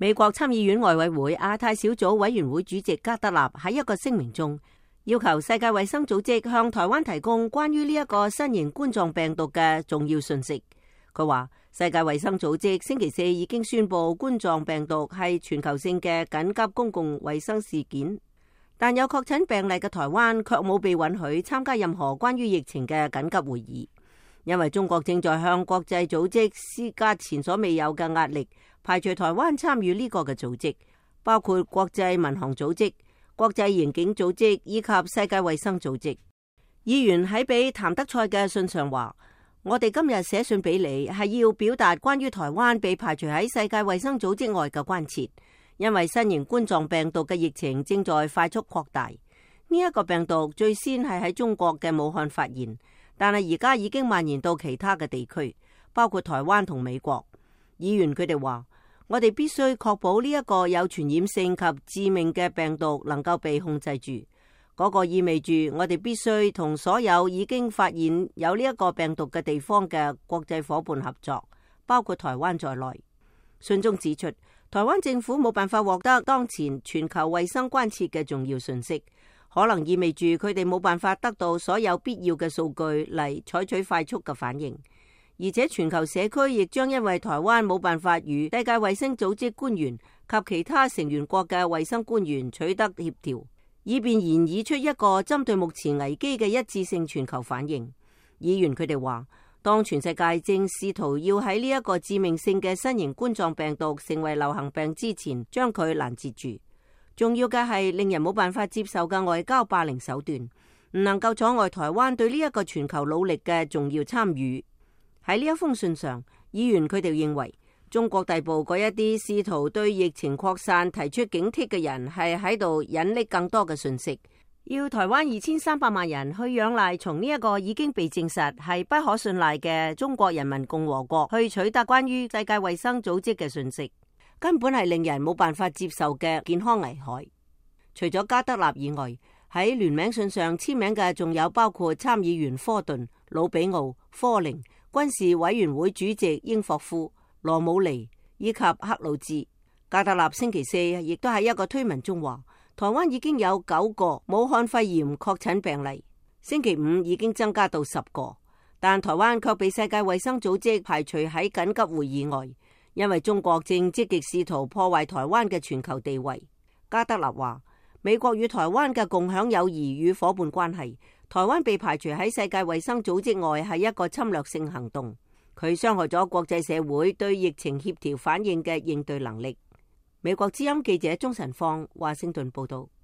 美國參議院外委會亞太小組委員會主席加德納喺一個聲明中，要求世界衛生組織向台灣提供關於呢一個新型冠狀病毒嘅重要信息。佢話，世界衛生組織星期四已經宣布冠狀病毒係全球性嘅緊急公共衛生事件，但有確診病例嘅台灣卻冇被允許參加任何關於疫情嘅緊急會議，因為中國正在向國際組織施加前所未有嘅壓力，排除台灣參與呢個嘅組織，包括國際民航組織、國際刑警組織以及世界衛生組織。議員喺俾譚德塞嘅信上話，我哋今日寫信俾你係要表達關於台灣被排除喺世界衛生組織外嘅關切，因為新型冠狀病毒嘅疫情正在快速擴大。呢一個病毒最先係喺中國嘅武漢發現，但係而家已經蔓延到其他嘅地區，包括台灣同美國。議員佢哋話，我哋必須確保呢一個有傳染性及致命嘅病毒能夠被控制住。嗰個意味住我哋必須同所有已經發現有呢一個病毒嘅地方嘅國際夥伴合作，包括台灣在內。信中指出，台灣政府冇辦法獲得當前全球衛生關切嘅重要信息，可能意味住佢哋冇辦法得到所有必要嘅數據嚟採取快速嘅反應。而且全球社區亦將因為台灣冇辦法與世界衛生組織官員及其他成員國嘅衛生官員取得協調，以便研擬出一個針對目前危機嘅一致性全球反應。議員佢哋話，當全世界正試圖要喺呢一個致命性嘅新型冠狀病毒成為流行病之前將佢攔截住，重要嘅係令人冇辦法接受嘅外交霸凌手段，唔能夠阻礙台灣對呢一個全球努力嘅重要參與。喺呢一封信上，議員佢哋認為中國逮捕嗰一啲試圖對疫情擴散提出警惕嘅人係喺度引匿更多嘅訊息，要台灣2300萬人去仰賴從呢一個已經被證實係不可信賴嘅中國人民共和國去取得關於世界衛生組織嘅訊息，根本係令人冇辦法接受嘅健康危害。除咗加德納以外，喺聯名信上簽名嘅仲有包括參議員科頓、魯比奧、科寧、軍事委員會主席英霍夫、羅姆尼以及克魯茲。加德納星期四亦都喺一個推文中話，台灣已經有9個武漢肺炎確診病例，星期五已經增加到10個，但台灣卻被世界衛生組織排除喺緊急會議外，因為中國正積極試圖破壞台灣嘅全球地位。加德納話，美國與台灣嘅共享友誼與夥伴關係，台灣被排除喺世界衛生組織外係一個侵略性行動，佢傷害咗國際社會對疫情協調反應嘅應對能力。美國之音記者鍾晨芳華盛頓報道。